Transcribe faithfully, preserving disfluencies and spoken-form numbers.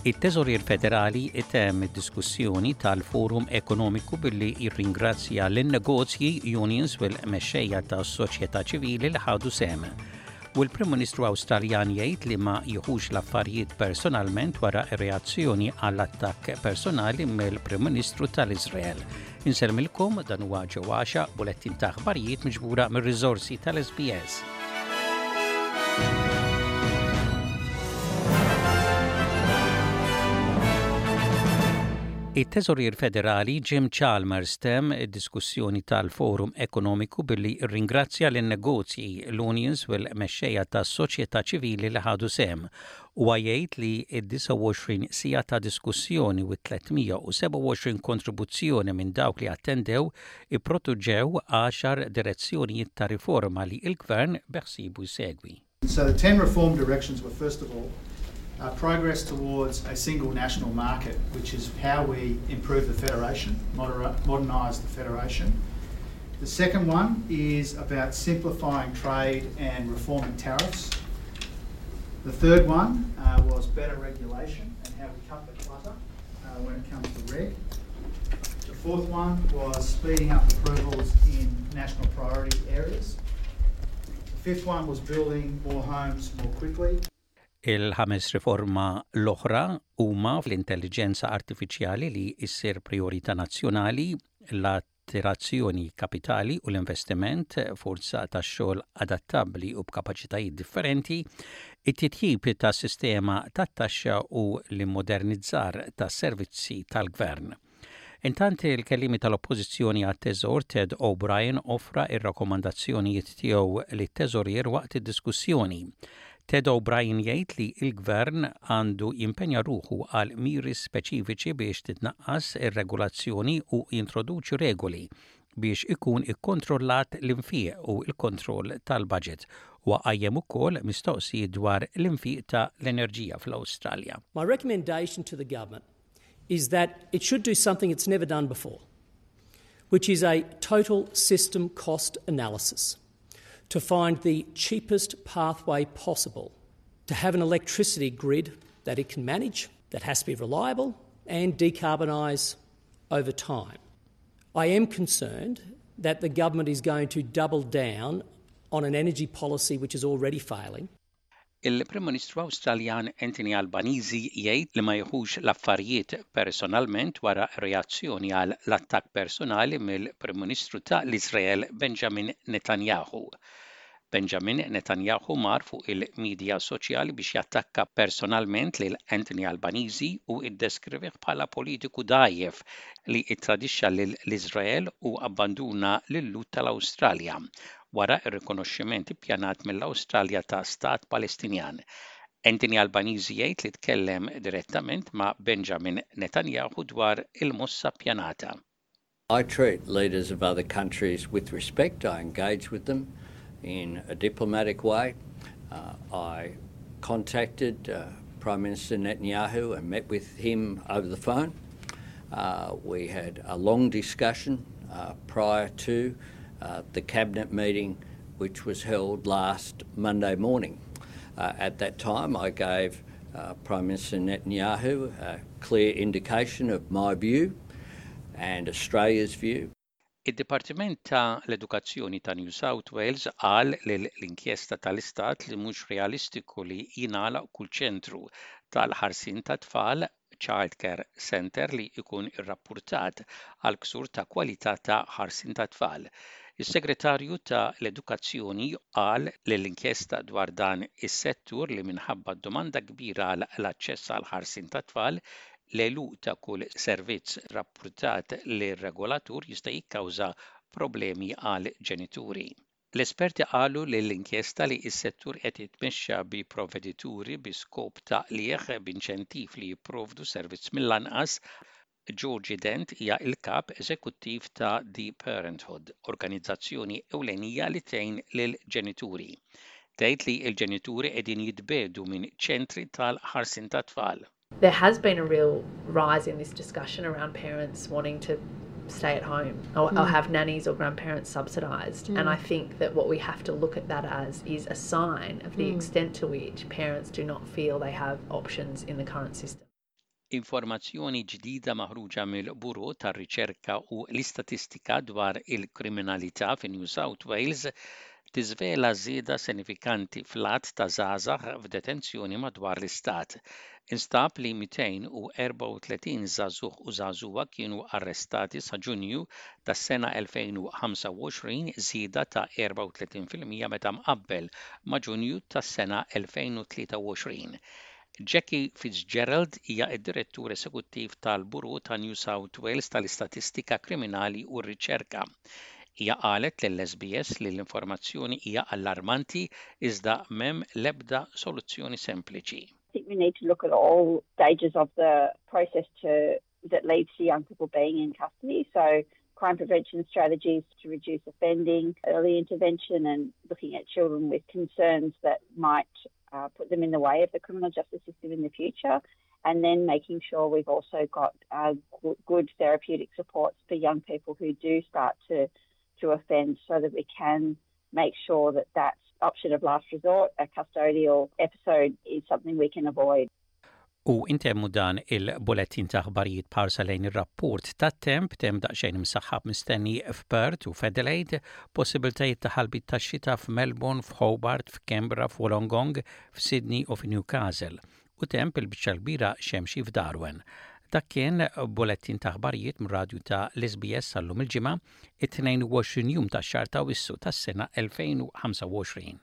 It-Teżorier Federali itemm id-diskussjoni tal-Forum Ekonomiku billi jirringrazzja lin-negozji, unions u l-mexxejja tas-soċjetà ċivili li ħadu sehem. U l-Prim Ministru Awstraljan jgħid li ma jieħux l-affarijiet personalment wara reazzjoni għall-attakk personali mill-Prim Ministru tal-Iżrael. Insellmilkom, dan huwa ġewwaxa bulettin ta' aħbarijiet miġbura mir-riżorsi tal-S B S. It-Teżorier Federali Jim Chalmers temm id-diskussjoni tal-Forum Ekonomiku billi rringrazzja lin-negozji, l-unions u l-mexxejja tas-soċjetà ċivili li ħadu sehem u jgħid li id-disgħa u għoxrin siegħa ta' diskussjoni u tliet mija u sebgħa u għoxrin kontribuzzjoni minn dawk li attendew ipproduċew għaxar direzzjonijiet ta' riforma li il-gvern beħsiebu jsegwi. So the ten reform directions were, first of all, uh, progress towards a single national market, which is how we improve the federation, modernise the federation. The second one is about simplifying trade and reforming tariffs. The third one uh, was better regulation and how we cut the clutter uh, when it comes to reg. The fourth one was speeding up approvals in national priority areas. The fifth one was building more homes more quickly. Il-ħames riforma l-oħra huma fl-intelligenza artifiċjali li issir priorità nazzjonali, l-attirazzjoni kapitali u l-investiment, forza ta' xogħol adattabbli u b'kapaċitajiet differenti, it-titjib ta' sistema tat-taxxa u l-immodernizzar tas servizzi tal-gvern. Intant, il-kellimi tal-Oppożizzjoni għat-Teżor Ted O'Brien offra ir-rakkomandazzjonijiet tiegħu lit-teżorier waqt id-diskussjoni. Ted O'Brien jgħid li il-gvern għandu jimpenja ruħu għal miri speċifiċi biex titnaqqas ir-regolazzjoni u jintroduċi regoli biex ikun ikkontrollat l-infiq u l-kontroll tal-budget u qajjem ukoll mistoqsijiet dwar l-infiq ta' l-enerġija fl-Awstralja. My recommendation to the government is that it should do something it's never done before, which is a total system cost analysis to find the cheapest pathway possible to have an electricity grid that it can manage, that has to be reliable and decarbonise over time. I am concerned that the government is going to double down on an energy policy which is already failing. Il-Prim Ministru Awstraljan Anthony Albanese jgħid li ma jieħux l-affarijiet personalment wara reazzjoni għal l-attakk personali mill-Prim Ministru ta' l-Iżrael Benjamin Netanyahu. Benjamin Netanyahu mar fuq il-medja soċjali biex jattakka personalment lil Anthony Albanese u iddeskrivih bħala politiku dgħajjef li ittradixxa lil l-Iżrael u abbanduna lil-Lhud tal-Awstralja wara r-rikonoxximent ippjanat mill-Awstralja ta' Stat Palestinjan. Anthony Albanese jgħid li tkellem direttament ma' Benjamin Netanyahu dwar il-mossa ppjanata. I treat leaders of other countries with respect. I engage with them in a diplomatic way. Uh, I contacted uh, Prime Minister Netanyahu and met with him over the phone. Uh, we had a long discussion uh, prior to uh, the cabinet meeting, which was held last Monday morning. Uh, at that time, I gave uh, Prime Minister Netanyahu a clear indication of my view and Australia's view. Id-Dipartiment ta' l-Edukazzjoni ta' New South Wales qal l-inkjesta tal-Istat li mhux realistiku li jingħalaq kull ċentru tal-ħarsien ta' tfal, Child Care Center, li jkun irrappurtat għal ksur ta' kwalità ta' ħarsien ta' tfal. Is-Segretarju ta' l-Edukazzjoni qal l-inkjesta dwar dan is-settur li minħabba domanda kbira għal l-aċċess għal ħarsien ta' tfal, l-għeluq ta' kull servizz rapportat lir-regolatur jista' jikkawża problemi għal ġenituri. L-esperti qalu l-inkjesta li s-settur qed jitmexxa bi provvedituri bi skop ta' qligħ b'inċentiv li jipprovdu servizz mill-anqas. Georgie Dent hija il-kap eżekuttiv ta' The Parenthood, organizzazzjoni ewlenija li tgħin lil ġenituri. Tgħid li l-ġenituri qegħdin jitbiegħdu minn ċentri tal-ħarsien tat-tfal. There has been a real rise in this discussion around parents wanting to stay at home or, mm. or have nannies or grandparents subsidised. Mm. And I think that what we have to look at that as is a sign of the mm. extent to which parents do not feel they have options in the current system. Informazzjoni ġdida maħruġa mill-Bureau tar-Riċerka u l-Istatistika dwar il-kriminalità fi New South Wales tiżvela żieda sinifikanti fl-għadd ta' żgħażagħ f'detenzjoni madwar l-istat. Instab li mitejn u erbgħa u tletin żagħżugħ u żagħżugħa kienu arrestati sa Ġunju tas-sena elfejn u ħamsa u għoxrin, żieda ta' erbgħa u tletin fil-mija meta mqabbel ma' Ġunju tas-sena elfejn u tlieta u għoxrin. Jackie Fitzgerald hija d-direttur esekuttiv tal-Bureau ta' New South Wales tal-Istatistika Kriminali u r-Riċerka. Hija qalet lill-S B S li l-informazzjoni hija allarmanti, iżda m'hemm l-ebda soluzzjoni sempliċi. I think we need to look at all stages of the process to that leads to young people being in custody. So crime prevention strategies to reduce offending, early intervention and looking at children with concerns that might uh, put them in the way of the criminal justice system in the future. And then making sure we've also got uh, good therapeutic supports for young people who do start to, to offend so that we can make sure that that option of last resort, a custodial episode, is something we can avoid. U intemmu dan il-bulettin ta' aħbarijiet b'ħarsa lejn ir-rapport ta' temp: temp daqsxejn imsaħħab mistenni f'Perth u f'Adelaide, possibiltajiet ta' ħalbiet ta' xita f'Melbourne, f'Hobart, f'Canberra, f'Wollongong, f'Sydney u f'Newcastle u temp il-biċċa kbira xemxi f'Darwin. Dak kien bulettin ta' aħbarijiet mir-radju ta' l-S B S għal-lum il-Ġimgħa, it-tnejn u għoxrin jum ta' xahar ta' Awwissu tas-sena elfejn u ħamsa u għoxrin.